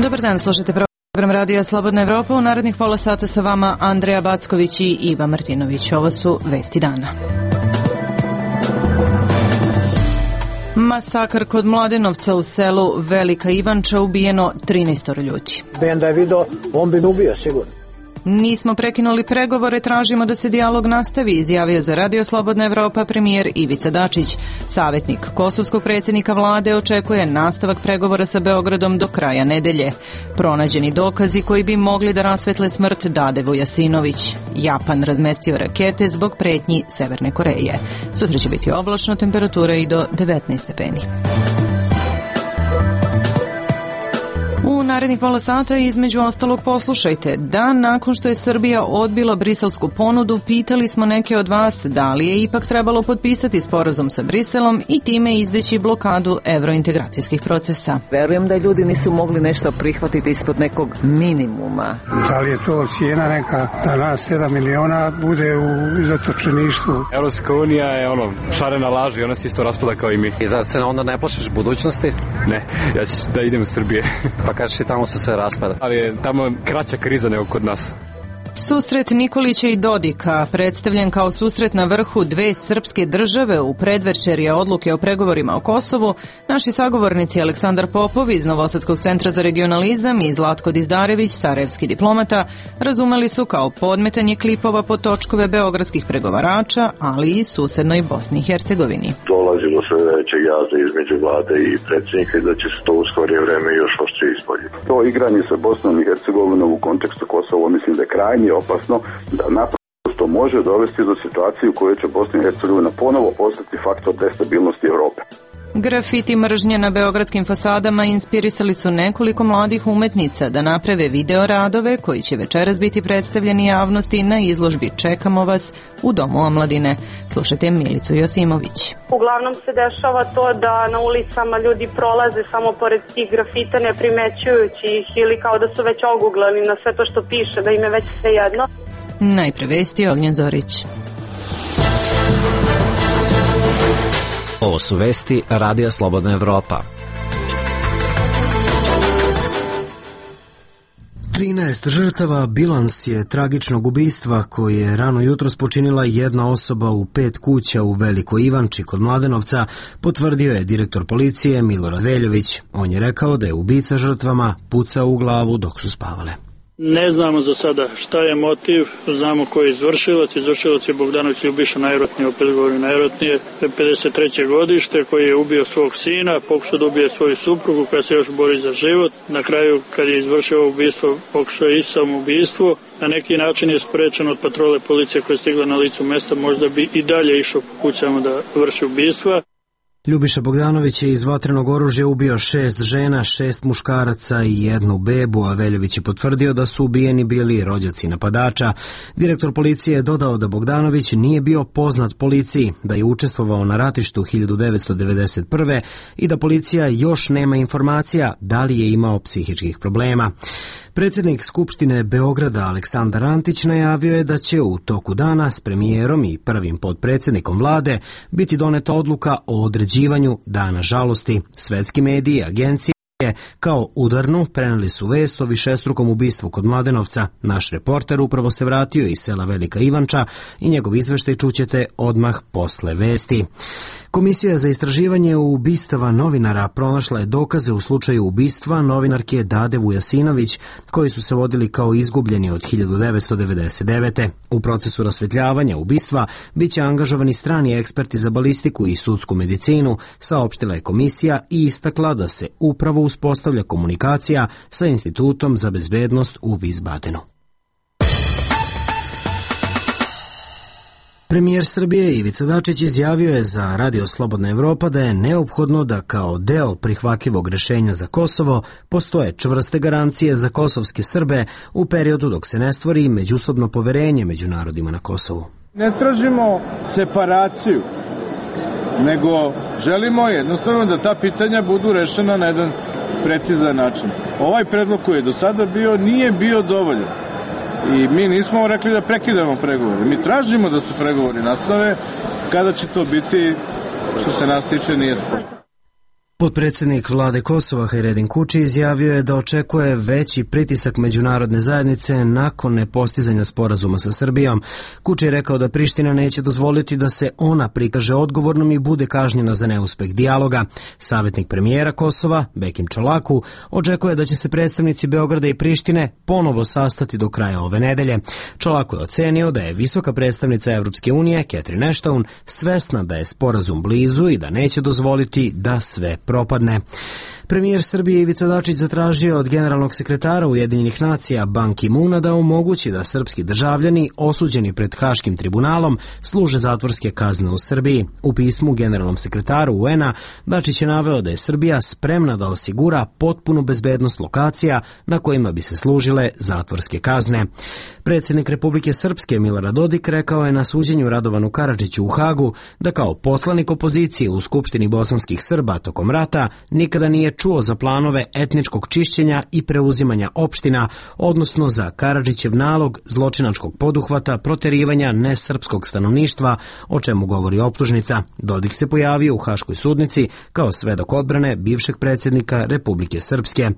Dobar dan, slušajte program Radija Slobodna Evropa. U narednih pola sata sa vama Andreja Backović i Iva Martinović. Ovo su vesti dana. Masakr kod Mladenovca u selu Velika Ivanča, ubijeno 13 ljudi. Da je video, on bi me ubio sigurno. Nismo prekinuli pregovore, tražimo da se dijalog nastavi, izjavio za Radio Slobodna Evropa premijer Ivica Dačić. Savjetnik kosovskog predsjednika vlade očekuje nastavak pregovora sa Beogradom do kraja nedelje. Pronađeni dokazi koji bi mogli da rasvetle smrt Dade Vujasinović. Japan razmestio rakete zbog pretnji Severne Koreje. Sutra će biti oblačno, temperatura i do 19 stepeni. U narednih pola sata između ostalog poslušajte. Dan nakon što je Srbija odbila briselsku ponudu, pitali smo neke od vas da li je ipak trebalo potpisati sporazum sa Briselom i time izbeći blokadu evrointegracijskih procesa. Verujem da ljudi nisu mogli nešto prihvatiti ispod nekog minimuma. Da li je to cijena neka da nas 7 miliona bude u zatočeništvu? Evropska unija je šarena laž i ona se isto raspada kao i mi. I zar se onda ne plašiš budućnosti? Ne, ja ću da idem u Srbije. Pa kažeš i tamo se sve raspada. Ali je tamo kraća kriza nego kod nas. Susret Nikolića i Dodika, predstavljen kao susret na vrhu dve srpske države u predvečerje odluke o pregovorima o Kosovu, naši sagovornici Aleksandar Popov iz Novosadskog centra za regionalizam i Zlatko Dizdarević, sarajevski diplomata, razumeli su kao podmetanje klipova po točkove beogradskih pregovarača, ali i susednoj Bosni i Hercegovini. Dolazi do sve većeg jaza između vlade i predsjednika i da će se to u skorije vreme još oštrije ispoljiti. To igranje sa Bosnom i Hercegovinom u kontekstu Kosova mislim da je krajnje opasno, da naprosto može dovesti do situacije u kojoj će Bosna i Hercegovina ponovo postati faktor destabilnosti Evrope. Grafiti mržnje na beogradskim fasadama inspirisali su nekoliko mladih umetnica da naprave video radove koji će večeras biti predstavljeni javnosti na izložbi Čekamo vas u Domu omladine. Slušajte Milicu Josimović. Uglavnom se dešava to da na ulicama ljudi prolaze samo pored tih grafita ne primećujući ih ili kao da su već oguglani na sve to što piše, da im je već sve jedno. Najpre vesti Ognjen Zorić. Ovo su vesti Radija Slobodna Evropa. 13 žrtava bilans je tragičnog ubistva koje je rano jutros počinila jedna osoba u 5 kuća u Velikoj Ivanči kod Mladenovca, potvrdio je direktor policije Milorad Veljović. On je rekao da je ubica žrtvama pucao u glavu dok su spavale. Ne znamo za sada šta je motiv, znamo ko je izvršilac. Izvršilac je Bogdanović Ljubiša, najvjerojatnije, opet govorim najvjerojatnije, 53. godište, koji je ubio svog sina, pokušao da ubije svoju suprugu koja se još bori za život. Na kraju, kad je izvršio ubistvo, pokušao je i samoubistvo. Na neki način je sprečen od patrole policije koja je stigla na licu mesta, možda bi i dalje išao po kućama da vrši ubistva. Ljubiša Bogdanović je iz vatrenog oružja ubio 6 žena, 6 muškaraca i 1 bebu, a Veljović je potvrdio da su ubijeni bili rođaci napadača. Direktor policije je dodao da Bogdanović nije bio poznat policiji, da je učestvovao na ratištu 1991. i da policija još nema informacija da li je imao psihičkih problema. Predsjednik Skupštine Beograda Aleksandar Antić najavio je da će u toku dana s premijerom i prvim potpredsjednikom vlade biti doneta odluka o određivanju Dana žalosti. Svetski mediji i agencije kao udarnu preneli su vest o višestrukom ubistvu kod Mladenovca. Naš reporter upravo se vratio iz sela Velika Ivanča i njegov izveštaj čućete odmah posle vesti. Komisija za istraživanje ubistava novinara pronašla je dokaze u slučaju ubistva novinarke Dade Vujasinović, koji su se vodili kao izgubljeni od 1999. U procesu rasvetljavanja ubistva biće angažovani strani eksperti za balistiku i sudsku medicinu, saopštila je komisija i istakla da se upravo uspostavlja komunikacija sa Institutom za bezbednost u Wiesbadenu. Premijer Srbije Ivica Dačić izjavio je za Radio Slobodna Evropa da je neophodno da kao deo prihvatljivog rešenja za Kosovo postoje čvrste garancije za kosovske Srbe u periodu dok se ne stvori međusobno poverenje među narodima na Kosovu. Ne tražimo separaciju, nego želimo jednostavno da ta pitanja budu rešena na jedan precizan način. Ovaj predlog koji je do sada bio nije bio dovoljan. I mi nismo rekli da prekidamo pregovore. Mi tražimo da se pregovori nastave. Kada će to biti, što se nas tiče, nije sporno. Potpredsjednik vlade Kosova Hajredin Kuči izjavio je da očekuje veći pritisak međunarodne zajednice nakon nepostizanja sporazuma sa Srbijom. Kuči je rekao da Priština neće dozvoliti da se ona prikaže odgovornom i bude kažnjena za neuspeh dijaloga. Savjetnik premijera Kosova, Bekim Čolaku, očekuje da će se predstavnici Beograda i Prištine ponovo sastati do kraja ove nedelje. Čolaku je ocenio da je visoka predstavnica Evropske unije, Catherine Ashton, svesna da je sporazum blizu i da neće dozvoliti da sve propadne. Premijer Srbije Ivica Dačić zatražio od generalnog sekretara Ujedinjenih nacija Ban Ki-moona da omogući da srpski državljani osuđeni pred Haškim tribunalom služe zatvorske kazne u Srbiji. U pismu generalnom sekretaru UN-a Dačić je naveo da je Srbija spremna da osigura potpunu bezbednost lokacija na kojima bi se služile zatvorske kazne. Predsjednik Republike Srpske Milorad Dodik rekao je na suđenju Radovanu Karadžiću u Hagu da kao poslanik opozicije u Skupštini bosanskih Srba tokom rata nikada nije čuo za planove etničkog čišćenja i preuzimanja opština, odnosno za Karadžićev nalog zločinačkog poduhvata proterivanja nesrpskog stanovništva, o čemu govori optužnica. Dodik se pojavio u Haškoj sudnici kao svedok odbrane bivšeg predsjednika Republike Srpske.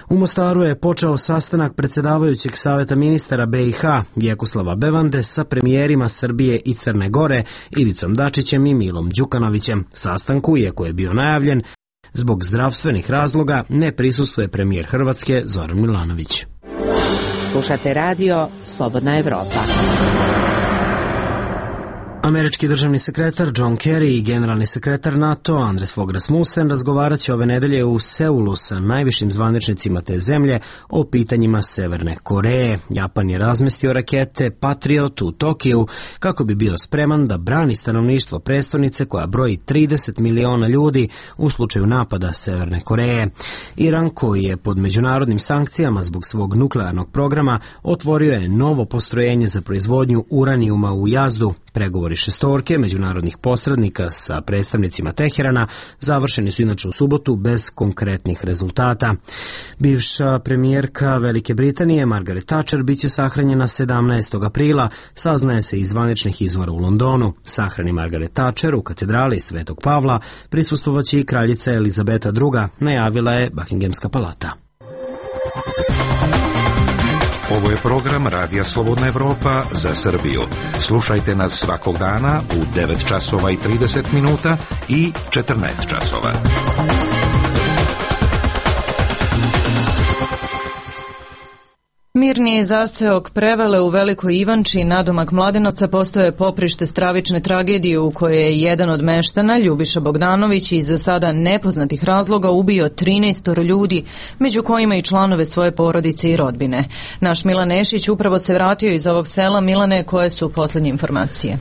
U Mostaru je počeo sastanak predsjedavajućeg saveta ministara BiH Vjekoslava Bevande sa premijerima Srbije i Crne Gore Ivicom Dačićem i Milom Đukanovićem. Sastanku, iako je bio najavljen, zbog zdravstvenih razloga ne prisustvuje premijer Hrvatske Zoran Milanović. Slušate radio Slobodna Evropa. Američki državni sekretar John Kerry i generalni sekretar NATO Anders Fogh Rasmussen razgovarat će ove nedelje u Seulu sa najvišim zvaničnicima te zemlje o pitanjima Severne Koreje. Japan je razmestio rakete Patriot u Tokiju kako bi bio spreman da brani stanovništvo prestonice koja broji 30 miliona ljudi u slučaju napada Severne Koreje. Iran, koji je pod međunarodnim sankcijama zbog svog nuklearnog programa, otvorio je novo postrojenje za proizvodnju uranijuma u Jazdu. Pregovori šestorke međunarodnih posrednika sa predstavnicima Teherana završeni su inače u subotu bez konkretnih rezultata. Bivša premijerka Velike Britanije Margaret Thatcher biće sahranjena 17. aprila, saznaje se iz zvaničnih izvora u Londonu. Sahrani Margaret Thatcher u katedrali Svetog Pavla prisustvovaće i kraljica Elizabeta II, najavila je Buckinghamska palata. Ovo je program Radija Slobodna Evropa za Srbiju. Slušajte nas svakog dana u 9 časova i 30 minuta i 14 časova. Mirniji zaseok Prevele u Velikoj Ivanči, nadomak Mladenovca, postoje poprište stravične tragedije u kojoj je jedan od meštana, Ljubiša Bogdanović, iz za sada nepoznatih razloga ubio 13 ljudi, među kojima i članove svoje porodice i rodbine. Naš Milan Nešić upravo se vratio iz ovog sela. Milane, koje su posljednje informacije?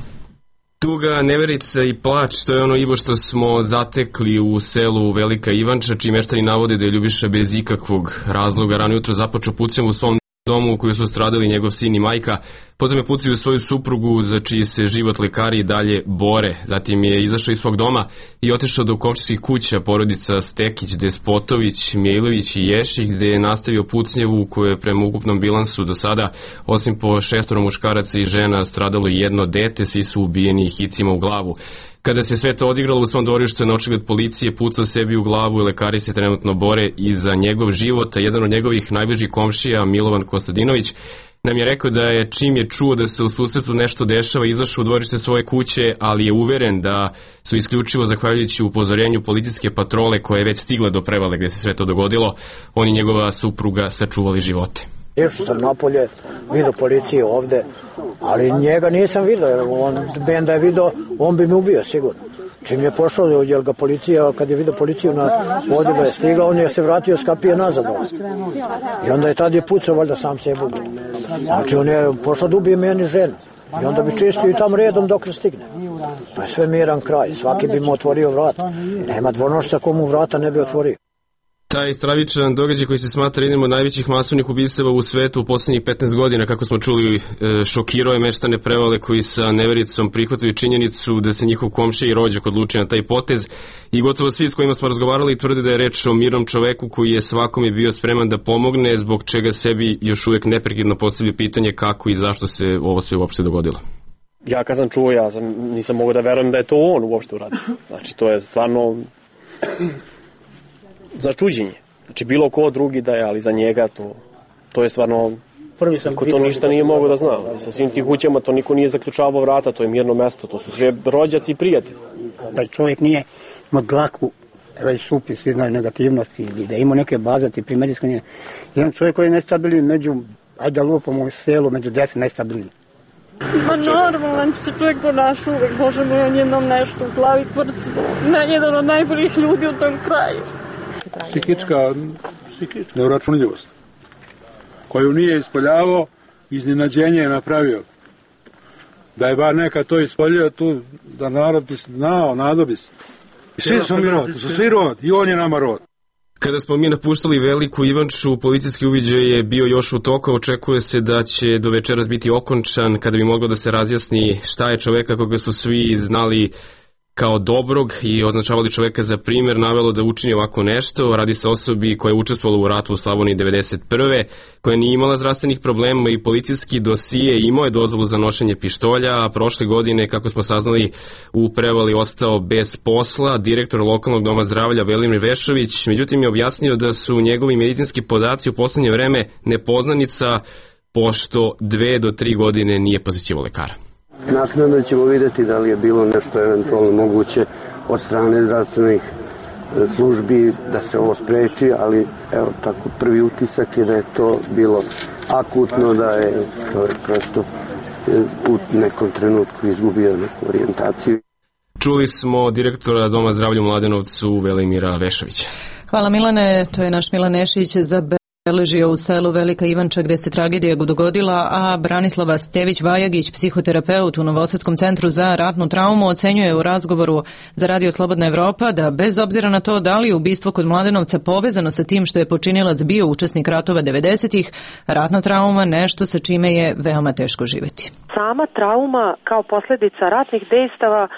Tuga, neverica i plać, to je ono Ivo što smo zatekli u selu Velika Ivanča, čiji meštani navode da je Ljubiša bez ikakvog razloga rano jutro započeo pucnjom u svom domu u kojoj su stradali njegov sin i majka, potom je pucao u svoju suprugu za čiji se život lekari i dalje bore. Zatim je izašao iz svog doma i otišao do komšijskih kuća porodica Stekić, Despotović, Mijailović i Ješić, gde je nastavio pucnjevu u kojoj je prema ukupnom bilansu do sada, osim po 6 muškaraca i žena, stradalo jedno dete, svi su ubijeni hicima u glavu. Kada se sve to odigralo u svom dvorištu je na očigled policije pucao sebi u glavu i lekari se trenutno bore i za njegov život, a jedan od njegovih najbližih komšija, Milovan Kostadinović, nam je rekao da je čim je čuo da se u susretu nešto dešava izašao u dvorište svoje kuće, ali je uveren da su isključivo zahvaljujući upozorenju policijske patrole koja je već stigla do Prevale gde se sve to dogodilo, on i njegova supruga sačuvali živote. Išao sam napolje, vidio policiju ovde, ali njega nisam vidio, jer on da je vidio, on bi me ubio sigurno. Čim je pošao, jer ga policija, kad je vidio policiju ovde ga je stigao, on je se vratio, skapije nazad ovde. I onda je tad je pucao, valjda sam sebe ubio. Znači on je pošao da ubije meni ženu. I onda bi čistio i tam redom dok ne stigne. To je sve miran kraj, svaki bi mu otvorio vrat. Nema dvonošca komu vrata ne bi otvorio. Taj stravičan događaj koji se smatra jednim od najvećih masovnih ubistava u svetu u poslednjih 15 godina, kako smo čuli, šokirao je meštane Prevale koji sa nevericom prihvataju činjenicu da se njihov komšija i rođak odlučio na taj potez i gotovo svi s kojima smo razgovarali tvrde da je reč o mirnom čoveku koji je svakome bio spreman da pomogne, zbog čega sebi još uvek neprekidno postavlja pitanje kako i zašto se ovo sve uopšte dogodilo. Ja kad sam čuo, nisam mogao da verujem da je to on uopšte uradio. Znači to je stvarno za čuđenje. Znači bilo ko drugi da je, ali za njega to je stvarno, ko to ništa nije mogao da zna. Sa svim tim kućama to niko nije zaključavao vrata, to je mirno mesto, to su sve rođaci i prijatelji. Da čovjek nije imao dlaku, već supi, svi znaju negativnosti, ili da ima neke bazati primedijsko nije. Jedan čovjek koji je nestabilan među, ajde da lupamo u selu, među 10 nestabilni. Ma normalan se čovjek ponaša uvek, Bože moj, on jednom nešto u glavi kvrci. Jedan od najboljih ljudi u tom kraju. Psihička neuračunljivost koju nije ispoljavao, iznenađenje je napravio. Da je bar neka to ispoljio tu, da narod bi znao, nadobi se. Svi smo mi rod, su svi rod i on je nama rod. Kada smo mi napuštali Veliku Ivanču, policijski uviđaj je bio još u toku, očekuje se da će do večeras biti okončan, kada bi moglo da se razjasni šta je čoveka koga su svi znali kao dobrog i označavali čoveka za primjer navelo da učini ovako nešto. Radi se o osobi koja je učestvovala u ratu u Slavoniji 1991. koja nije imala zdravstvenih problema i policijski dosije, imao je dozvolu za nošenje pištolja, a prošle godine, kako smo saznali, u Prevali ostao bez posla. Direktor lokalnog doma zdravlja Velimir Vešović, međutim, je objasnio da su njegovi medicinski podaci u poslednje vreme nepoznanica, pošto 2 do 3 godine nije posjećivao lekara. Naknadno ćemo vidjeti da li je bilo nešto eventualno moguće od strane zdravstvenih službi da se ovo spreči, ali evo tako prvi utisak je da je to bilo akutno, da je čovjek prosto u nekom trenutku izgubio neku orijentaciju. Čuli smo direktora Doma zdravlja u Mladenovcu Velimira Vešovića. Hvala Milane, to je naš Milan Nešić zabeležio u selu Velika Ivanča gde se tragedija dogodila, a Branislava Stević-Vajagić, psihoterapeut u Novosadskom centru za ratnu traumu, ocenjuje u razgovoru za Radio Slobodna Evropa da bez obzira na to da li je ubistvo kod Mladenovca povezano sa tim što je počinilac bio učesnik ratova 90-ih, ratna trauma nešto sa čime je veoma teško živjeti. Sama trauma kao posljedica ratnih dejstava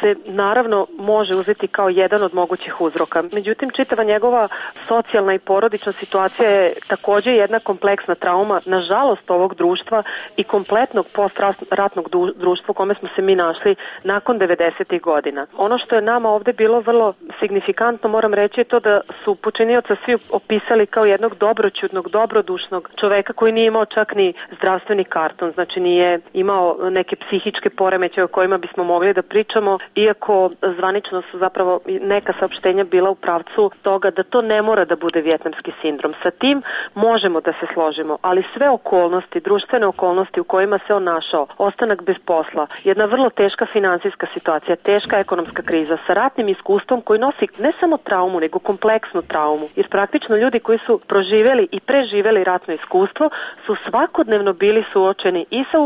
se naravno može uzeti kao jedan od mogućih uzroka. Međutim, čitava njegova socijalna i porodična situacija je također jedna kompleksna trauma, nažalost, ovog društva i kompletnog postratnog društva u kome smo se mi našli nakon 90. godina. Ono što je nama ovdje bilo vrlo signifikantno, moram reći, je to da su počinioca svi opisali kao jednog dobroćudnog, dobrodušnog čoveka koji nije imao čak ni zdravstveni karton, znači nije imao neke psihičke poremećaje o kojima bismo mogli da pričamo, iako zvanično su zapravo neka saopštenja bila u pravcu toga da to ne mora da bude vijetnamski sindrom. Sa tim možemo da se složimo, ali sve okolnosti, društvene okolnosti u kojima se on našao, ostanak bez posla, jedna vrlo teška finansijska situacija, teška ekonomska kriza sa ratnim iskustvom koji nosi ne samo traumu, nego kompleksnu traumu. Jer praktično ljudi koji su proživjeli i preživjeli ratno iskustvo su svakodnevno bili suočeni i sa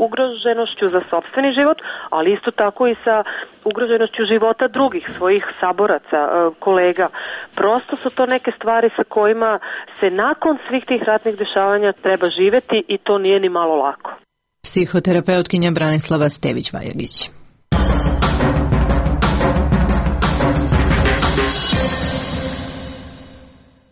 ugroženošću za sopstveni život, ali isto tako i sa ugroženošću života drugih, svojih saboraca, kolega. Prosto su to neke stvari sa kojima se nakon svih tih ratnih dešavanja treba živjeti i to nije ni malo lako. Psihoterapeutkinja Branislava Stević-Vajagić.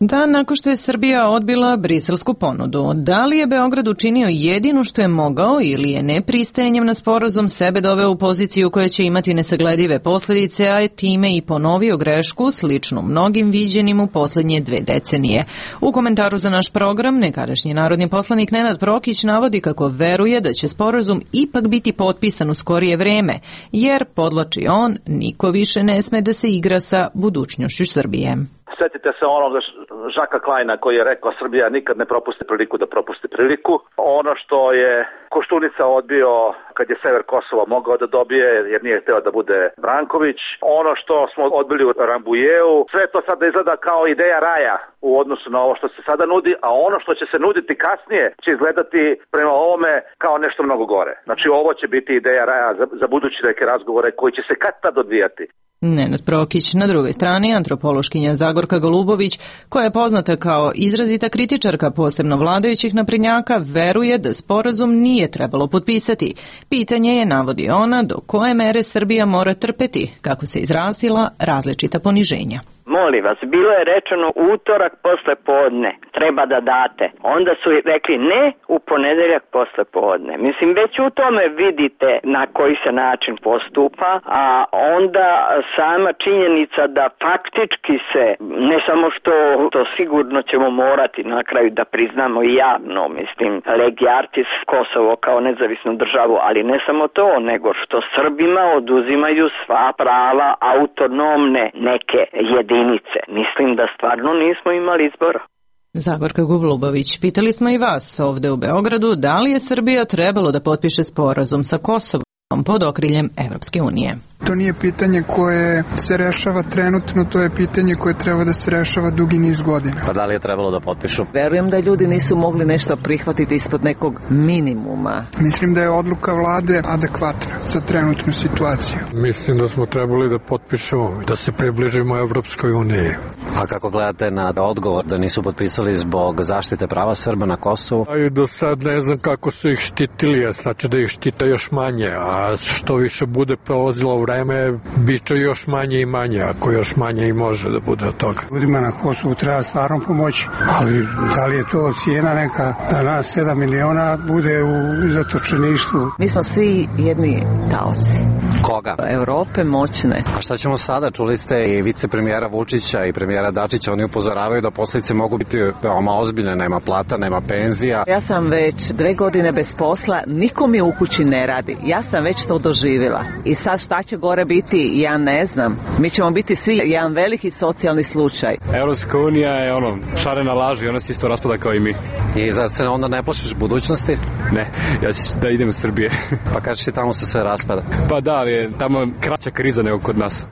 Dan nakon što je Srbija odbila briselsku ponudu, da li je Beograd učinio jedino što je mogao ili je nepristajanjem na sporazum sebe doveo u poziciju koja će imati nesagledive posljedice, a je time i ponovio grešku sličnu mnogim viđenim u posljednje 2 decenije. U komentaru za naš program nekadašnji narodni poslanik Nenad Prokić navodi kako veruje da će sporazum ipak biti potpisan u skorije vreme, jer, podlači on, niko više ne sme da se igra sa budućnošću Srbije. Sjetite se onog Žaka Klajna koji je rekao Srbija nikad ne propusti priliku da propusti priliku. Ono što je Koštunica odbio kad je sever Kosova mogao da dobije jer nije hteo da bude Branković. Ono što smo odbili u Rambujeu, sve to sada izgleda kao ideja raja u odnosu na ovo što se sada nudi, a ono što će se nuditi kasnije će izgledati prema ovome kao nešto mnogo gore. Znači ovo će biti ideja raja za budući neke razgovore koji će se kad tad odvijati. Nenad Prokić. Na drugoj strani antropološkinja Zagorka Golubović, koja je poznata kao izrazita kritičarka posebno vladajućih naprednjaka, veruje da sporazum nije trebalo potpisati. Pitanje je, navodi ona, do koje mere Srbija mora trpeti, kako se izrazila, različita poniženja. molim vas, bilo je rečeno utorak posle podne, treba da date. Onda su rekli ne, u ponedeljak posle podne. Mislim, već u tome vidite na koji se način postupa, a onda sama činjenica da faktički se, ne samo što to sigurno ćemo morati na kraju da priznamo i javno, mislim, legi artis Kosovo kao nezavisnu državu, ali ne samo to, nego što Srbima oduzimaju sva prava autonomne neke jedinice. Mislim da stvarno nismo imali izbora. Zagorka Gublubović, pitali smo i vas ovde u Beogradu da li je Srbija trebalo da potpiše sporazum sa Kosovom pod okriljem Evropske unije. To nije pitanje koje se rešava trenutno, to je pitanje koje treba da se rešava dugi niz godina. Pa da li je trebalo da potpišu? Verujem da ljudi nisu mogli nešto prihvatiti ispod nekog minimuma. Mislim da je odluka vlade adekvatna za trenutnu situaciju. Mislim da smo trebali da potpišemo, da se približimo Evropskoj uniji. A kako gledate na odgovor da nisu potpisali zbog zaštite prava Srba na Kosovu? A i do sad ne znam kako su ih štitili, znači da ih štite još manje, a što više bude prolazilo vreme, bit će još manje i manje, ako još manje i može da bude od toga. Ljudima na Kosovu treba stvarno pomoći, ali da li je to cijena neka da nas 7 miliona bude u zatočeništvu? Mi smo svi jedni taoci. Koga? Evrope moćne. A šta ćemo sada? Čuli ste i vicepremijera Vučića i premijera Dačića, oni upozoravaju da posljedice mogu biti veoma ozbiljne, nema plata, nema penzija. Ja sam već 2 godine bez posla, niko mi u kući ne radi. Ja sam već to doživjela. I sad šta će gore biti, ja ne znam. Mi ćemo biti svi jedan veliki socijalni slučaj. Evropska unija je šarena laž i ona se isto raspada kao i mi. I zar se onda ne plašiš budućnosti? Ne, ja ću da idem u Srbije. Pa kažeš ti tamo se sve raspada? Pa da, ali je tamo kraća kriza nego kod nas.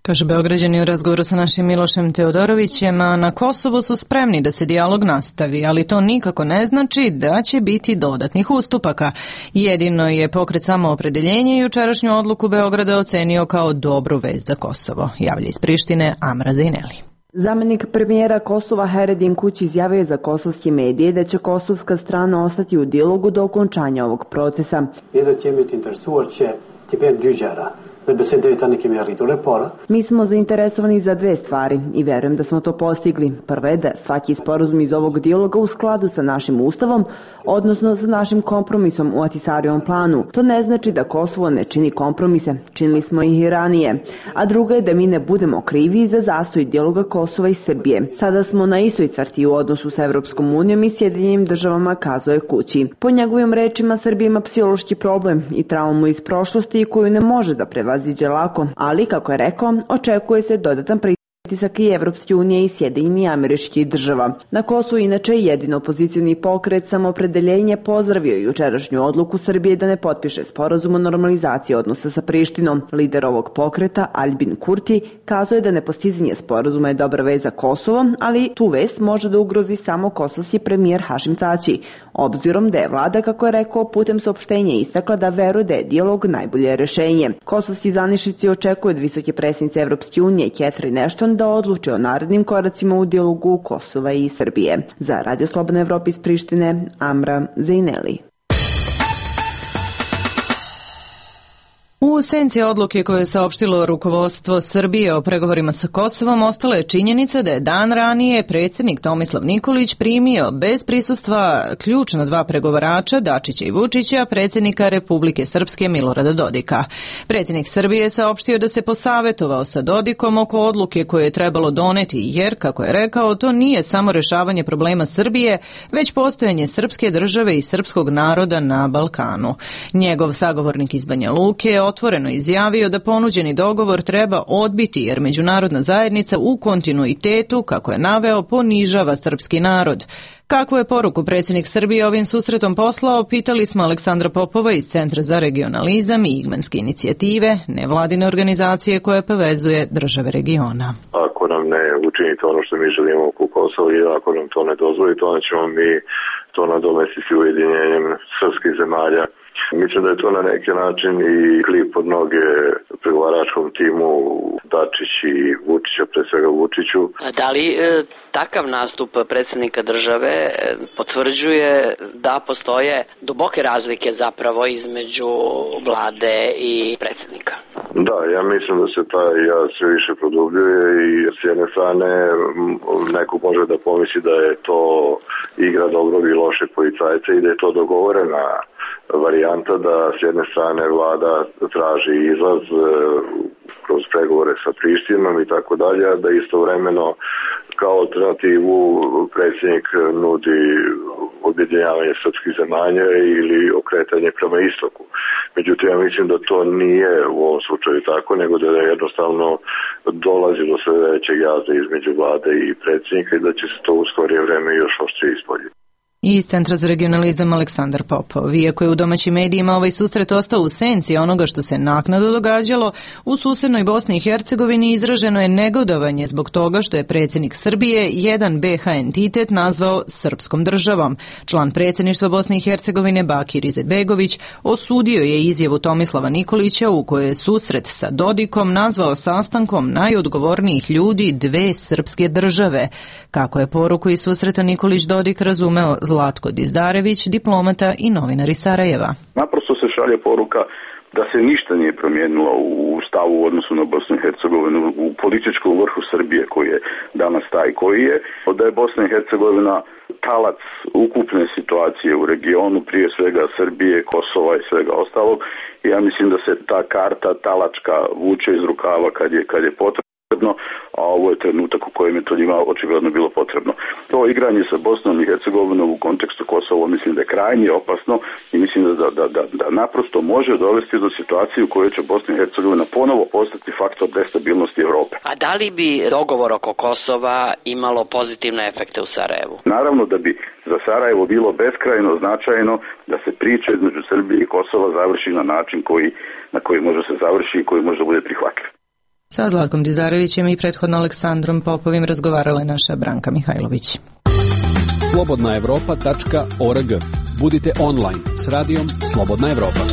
Kaže Beograđani u razgovoru sa našim Milošem Teodorovićem, a na Kosovu su spremni da se dijalog nastavi, ali to nikako ne znači da će biti dodatnih ustupaka. Jedino je pokret Samoopredeljenje i jučerašnju odluku Beograda ocenio kao dobru vest za Kosovo. Javlja iz Prištine Amra Zejneli. Zamenik premijera Kosova Haredin Kuć izjavio je za kosovske medije da će kosovska strana ostati u dijalogu do okončanja ovog procesa. Mi smo zainteresovani za 2 stvari i verujem da smo to postigli. Prva je da svaki sporazum iz ovog dijaloga u skladu sa našim ustavom, odnosno sa našim kompromisom u Ahtisarijevom planu. To ne znači da Kosovo ne čini kompromise, činili smo ih i ranije. A druga je da mi ne budemo krivi za zastoj dijaloga Kosova i Srbije. Sada smo na istoj crti u odnosu sa Evropskom unijom i Sjedinjenim državama, kazuje Kući. Po njegovim rečima, Srbija ima psihološki problem i traumu iz prošlosti koju ne može da prevaziđe lako, ali, kako je rekao, očekuje se dodatan pritisak i Evropske unije i Sjedinjenih Američkih Država. Na Kosovu inače jedino opozicioni pokret Samoopredeljenje pozdravio jučerašnju odluku Srbije da ne potpiše sporazum o normalizaciji odnosa sa Prištinom. Lider ovog pokreta, Aljbin Kurti, kazuje da nepostizanje sporazuma je dobra vest za Kosovo, ali tu vest može da ugrozi samo kosovski premijer Hašim Tači, obzirom da je vlada, kako je rekao, putem saopštenja istakla da veruje da je dijalog najbolje rešenje. Kosovski zvaničnici očekuju od visoke predsednice Evropske unije Catherine Ashton da odluči o narednim koracima u dijalogu Kosova i Srbije. Za Radio Slobodna Evropa iz Prištine, Amra Zejneli. U senci odluke koje je saopštilo rukovodstvo Srbije o pregovorima sa Kosovom ostala je činjenica da je dan ranije predsjednik Tomislav Nikolić primio bez prisustva ključna 2 pregovarača, Dačića i Vučića, predsjednika Republike Srpske Milorada Dodika. Predsjednik Srbije je saopštio da se posavetovao sa Dodikom oko odluke koje je trebalo doneti, jer, kako je rekao, to nije samo rešavanje problema Srbije, već postojanje srpske države i srpskog naroda na Balkanu. Njegov sagovornik iz Banja Luke je otvoreno izjavio da ponuđeni dogovor treba odbiti jer međunarodna zajednica u kontinuitetu, kako je naveo, ponižava srpski narod. Kakvu je poruku predsjednik Srbije ovim susretom poslao, pitali smo Aleksandra Popova iz Centra za regionalizam i Igmanske inicijative, nevladine organizacije koje povezuje države regiona. Ako nam ne učinite ono što mi želimo oko Kosova i ako nam to ne dozvolite, onda ćemo mi to nadomestiti ujedinjenjem srpskih zemalja. Mislim da je to na neki način i klip od noge pregovaračkom timu Dačić i Vučića, pre svega Vučiću. Da li takav nastup predsjednika države potvrđuje da postoje duboke razlike zapravo između vlade i predsjednika? Da, ja mislim da se taj jaz sve više produbljuje i s jedne strane neko može da pomisli da je to igra dobrog i lošeg policajca i da je to dogovorena varijanta da s jedne strane vlada traži izlaz kroz pregovore sa Prištinom i tako dalje, a da istovremeno kao alternativu predsjednik nudi objedinjavanje srpskih zemalja ili okretanje prema istoku. Međutim, ja mislim da to nije u ovom slučaju tako, nego da je jednostavno dolazi do sve većeg jaza između vlade i predsjednika i da će se to u skorije vreme još oštrije ispoljiti. I iz Centra za regionalizam Aleksandar Popov. Iako je u domaćim medijima ovaj susret ostao u senci onoga što se naknadno događalo, u susednoj Bosni i Hercegovini izraženo je negodovanje zbog toga što je predsjednik Srbije jedan BH entitet nazvao srpskom državom. Član predsjedništva Bosne i Hercegovine Bakir Izetbegović osudio je izjavu Tomislava Nikolića u kojoj je susret sa Dodikom nazvao sastankom najodgovornijih ljudi dve srpske države. Kako je poruku iz susreta Nikolić Dodik razumeo Zlatko Dizdarević, diplomata i novinar iz Sarajeva. Naprosto se šalje poruka da se ništa nije promijenilo u stavu u odnosu na Bosnu i Hercegovinu, u političkom vrhu Srbije koji je danas taj koji je, da je Bosna i Hercegovina talac ukupne situacije u regionu, prije svega Srbije, Kosova i svega ostalog. I ja mislim da se ta karta talačka vuče iz rukava kad je potrebno, a ovo je trenutak u kojem je to njima očigledno bilo potrebno. To igranje sa Bosnom i Hercegovinom u kontekstu Kosova mislim da je krajnje opasno i mislim da naprosto može dovesti do situacije u kojoj će Bosna i Hercegovina ponovo postati faktor destabilnosti Evrope. A da li bi dogovor oko Kosova imalo pozitivne efekte u Sarajevu? Naravno da bi za Sarajevo bilo beskrajno značajno da se priča između Srbije i Kosova završi na način na koji može se završi i koji može da bude prihvatljiv. Sa Zlatkom Dizdarevićem i prethodno Aleksandrom Popovim razgovarala je naša Branka Mihajlović. slobodnaevropa.org. Budite online s radijom Slobodna Evropa.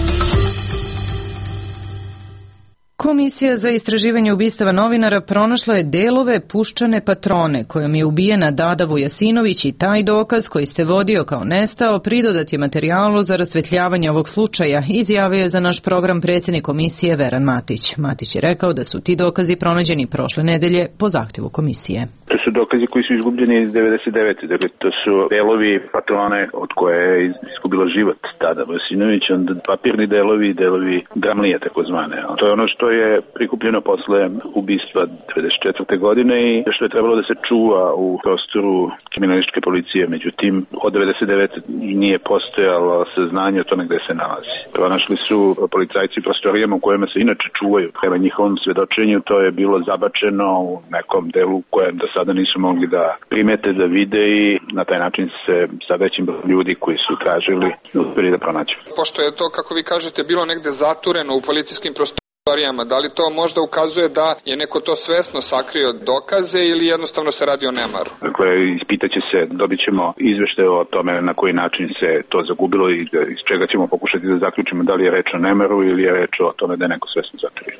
Komisija za istraživanje ubistava novinara pronašla je delove puščane patrone kojom je ubijena Dada Vujasinović i taj dokaz koji ste vodio kao nestao pridodat je materijalu za rasvetljavanje ovog slučaja, izjavio je za naš program predsjednik komisije Veran Matić. Matić je rekao da su ti dokazi pronađeni prošle nedelje po zahtjevu komisije. To su dokazi koji su izgubljeni iz 99. Dakle, to su delovi patrone od koje je izgubila život Dada Vujasinović, onda papirni delovi dramlije takozvane. To je ono što je prikupljeno posle ubistva 1994. godine i što je trebalo da se čuva u prostoru kriminalističke policije. Međutim, od 1999. nije postojalo saznanje o tome gde se nalazi. Pronašli su policajci u prostorijama u kojima se inače čuvaju. Prema njihovom svedočenju to je bilo zabačeno u nekom delu kojem do sada nisu mogli da primete, da vide i na taj način se sa većim ljudi koji su tražili uspeli da pronađu. Pošto je to, kako vi kažete, bilo negde zatureno u policijskim prostorijama, da li to možda ukazuje da je neko to svesno sakrio dokaze ili jednostavno se radi o nemaru? Dakle, ispitaće se, dobit ćemo izveštaje o tome na koji način se to zagubilo i iz čega ćemo pokušati da zaključimo da li je reč o nemaru ili je reč o tome da je neko svesno sakrio.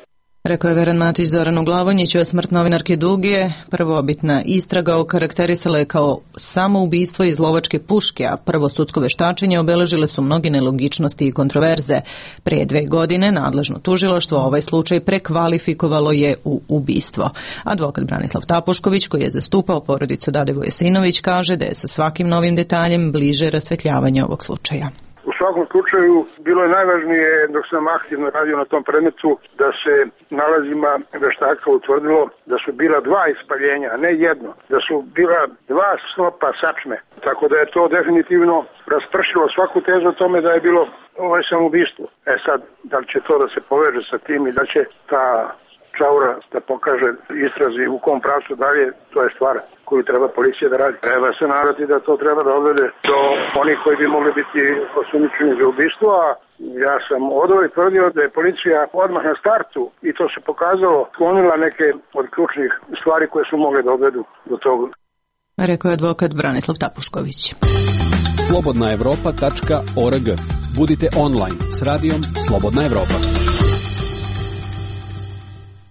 Rekao je Veran Matić Zoranu Glavonjiću, a smrt novinarke Dugije prvobitna istraga okarakterisala je kao samoubistvo iz lovačke puške, a prvo sudsko veštačenje obeležile su mnoge nelogičnosti i kontroverze. Prije 2 godine nadležno tužilaštvo ovaj slučaj prekvalifikovalo je u ubistvo. Advokat Branislav Tapušković, koji je zastupao porodicu Dade Vujasinović, kaže da je sa svakim novim detaljem bliže rasvetljavanje ovog slučaja. U svakom slučaju bilo je najvažnije dok sam aktivno radio na tom predmetu da se nalazima veštaka utvrdilo da su bila 2 ispaljenja, a ne jedno, da su bila 2 snopa sačme. Tako da je to definitivno raspršilo svaku tezu o tome da je bilo samoubistvo. Sad, da li će to da se poveže sa tim i da će ta čaura da pokaže istrazi u kom pravcu dalje, to je stvar koju treba policija da radi. Treba se nadati da to treba da odvede do onih koji bi mogli biti osumnjičeni za ubistvo, a ja sam odvoj tvrdio da je policija odmah na startu, i to se pokazalo, sklonila neke od ključnih stvari koje su mogle da odvedu do toga. Rekao je advokat Branislav Tapušković. slobodnaevropa.org. Budite online s radijom Slobodna Evropa.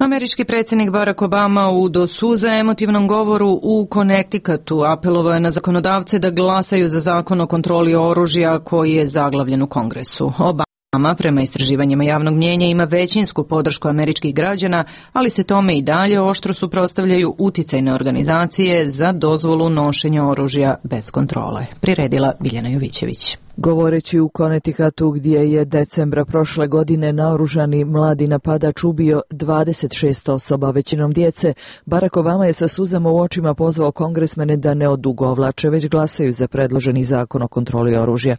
Američki predsjednik Barack Obama u do suza emotivnom govoru u Connecticutu apelovao je na zakonodavce da glasaju za zakon o kontroli oružja koji je zaglavljen u Kongresu. Prema istraživanjima javnog mnjenja ima većinsku podršku američkih građana, ali se tome i dalje oštro suprotstavljaju uticajne organizacije za dozvolu nošenja oružja bez kontrole. Priredila Biljana Jovićević. Govoreći u Connecticutu gdje je decembra prošle godine naoružani mladi napadač ubio 26 osoba, većinom djece, Barack Obama je sa suzama u očima pozvao kongresmene da ne odugovlače, već glasaju za predloženi zakon o kontroli oružja.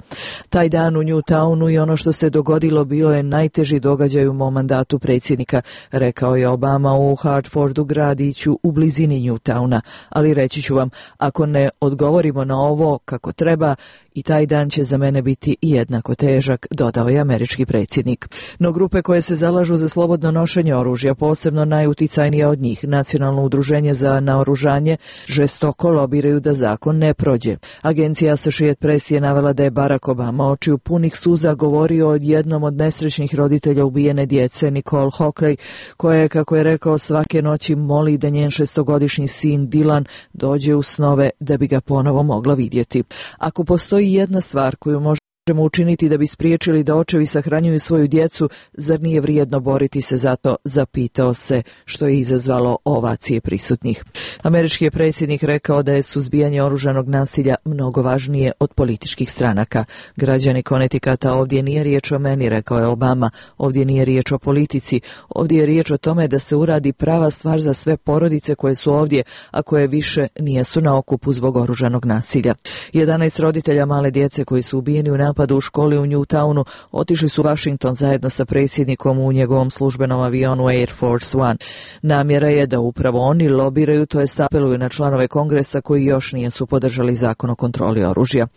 Taj dan u Newtownu i ono što se dogodilo bio je najteži događaj u mom mandatu predsjednika, rekao je Obama u Hartfordu, gradiću u blizini Newtowna. Ali reći ću vam, ako ne odgovorimo na ovo kako treba, i taj dan će za mene biti jednako težak, dodao je američki predsjednik. No grupe koje se zalažu za slobodno nošenje oružja, posebno najuticajnije od njih, Nacionalno udruženje za naoružanje, žestoko lobiraju da zakon ne prođe. Agencija Associated Press je navela da je Barack Obama očiju punih suza govorio o jednom od nesrećnih roditelja ubijene djece, Nicole Hockley, koja je, kako je rekao, svake noći moli da njen 6-godišnji sin Dylan dođe u snove da bi ga ponovo mogla vidjeti. Ako postoji jedna stvar koju možemo učiniti da bi spriječili da očevi sahranjuju svoju djecu, zar nije vrijedno boriti se za to, zapitao se, što je izazvalo ovacije prisutnih. Američki je predsjednik rekao da je suzbijanje oružanog nasilja mnogo važnije od političkih stranaka. Građani Connecticuta, ovdje nije riječ o meni, rekao je Obama, ovdje nije riječ o politici, ovdje je riječ o tome da se uradi prava stvar za sve porodice koje su ovdje, a koje više nijesu na okupu zbog oružanog nasilja. 11 roditelja male djece koji su ubijeni u napadu u školi u Newtownu otišli su u Washington zajedno sa predsjednikom u njegovom službenom avionu Air Force One. Namjera je da upravo oni lobiraju, to jest apeluju na članove Kongresa koji još nisu podržali zakon o kontroli oružja.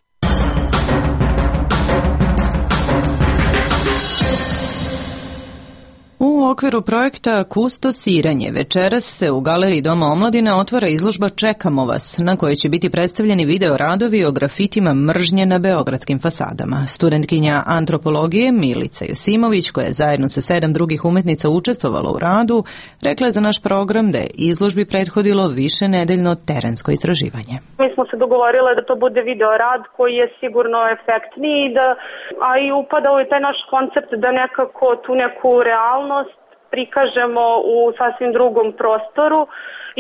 U okviru projekta Kustosiranje večeras se u Galeriji Doma omladine otvara izložba Čekamo vas, na kojoj će biti predstavljeni video radovi o grafitima mržnje na beogradskim fasadama. Studentkinja antropologije Milica Josimović, koja je zajedno sa 7 drugih umetnica učestvovala u radu, rekla je za naš program da je izložbi prethodilo višenedeljno terensko istraživanje. Mi smo se dogovorile da to bude video rad koji je sigurno efektniji, a i upada u taj naš koncept da nekako tu neku realnost prikažemo u sasvim drugom prostoru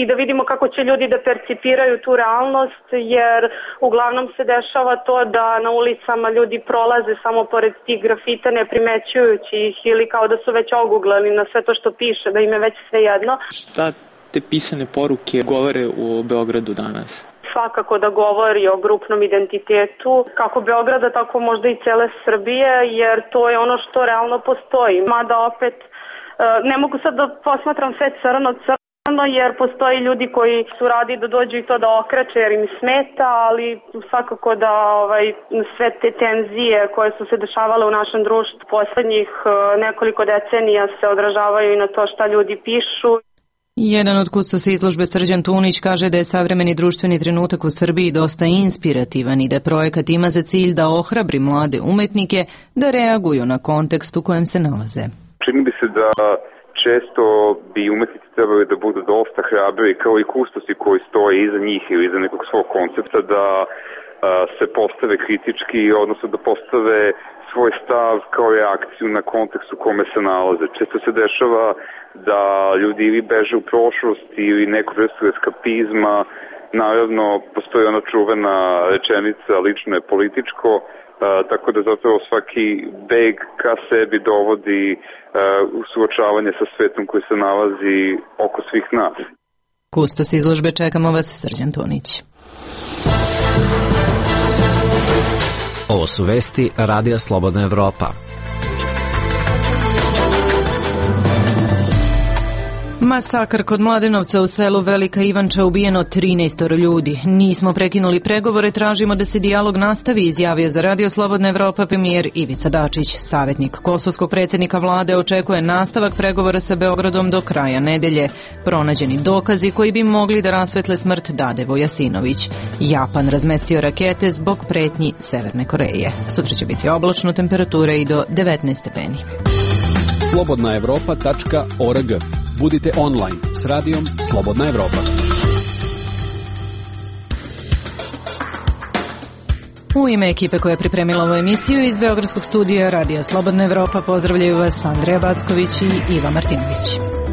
i da vidimo kako će ljudi da percipiraju tu realnost, jer uglavnom se dešava to da na ulicama ljudi prolaze samo pored tih grafita ne primećujući ih ili kao da su već oguglali na sve to što piše, da im je već sve jedno. Šta te pisane poruke govore u Beogradu danas? Svakako da govori o grupnom identitetu, kako Beograda, tako možda i cele Srbije, jer to je ono što realno postoji. Mada opet ne mogu sad da posmatram sve crno, jer postoji ljudi koji su radi da dođu i to da okreće jer im smeta, ali svakako da sve te tenzije koje su se dešavale u našem društvu poslednjih nekoliko decenija se odražavaju i na to šta ljudi pišu. Jedan od kustosa izložbe Srđan Tunić kaže da je savremeni društveni trenutak u Srbiji dosta inspirativan i da projekat ima za cilj da ohrabri mlade umetnike da reaguju na kontekst u kojem se nalaze. Čini bi se da često bi umetnici trebali da budu dosta hrabri kao i kustosi koji stoje iza njih ili iza nekog svog koncepta da se postave kritički, odnosno da postave svoj stav kao reakciju na kontekst u kome se nalaze. Često se dešava da ljudi ili beže u prošlost ili neku vrstu eskapizma. Naravno, postoji ona čuvena rečenica lično je političko, tako da zapravo svaki beg ka sebi dovodi u suočavanje sa svetom koji se nalazi oko svih nas. Kustos izložbe Čekamo vas, Srđan Tunić. Ovo su vesti Radija Slobodna Evropa. Masakr kod Mladenovca u selu Velika Ivanča, ubijeno 13 ljudi. Nismo prekinuli pregovore, tražimo da se dijalog nastavi, izjavio za Radio Slobodna Evropa premijer Ivica Dačić. Savjetnik kosovskog predsjednika vlade očekuje nastavak pregovora sa Beogradom do kraja nedelje. Pronađeni dokazi koji bi mogli da rasvetle smrt Dade Vojasinović. Japan razmestio rakete zbog pretnji Severne Koreje. Sutra će biti oblačno, temperature i do 19 stepeni. slobodnaevropa.org. Budite online s radijom Slobodna Evropa. U ime ekipe koja je pripremila ovu emisiju iz Beogradskog studija Radija Slobodna Evropa pozdravljaju vas Andreja Backović i Iva Martinović.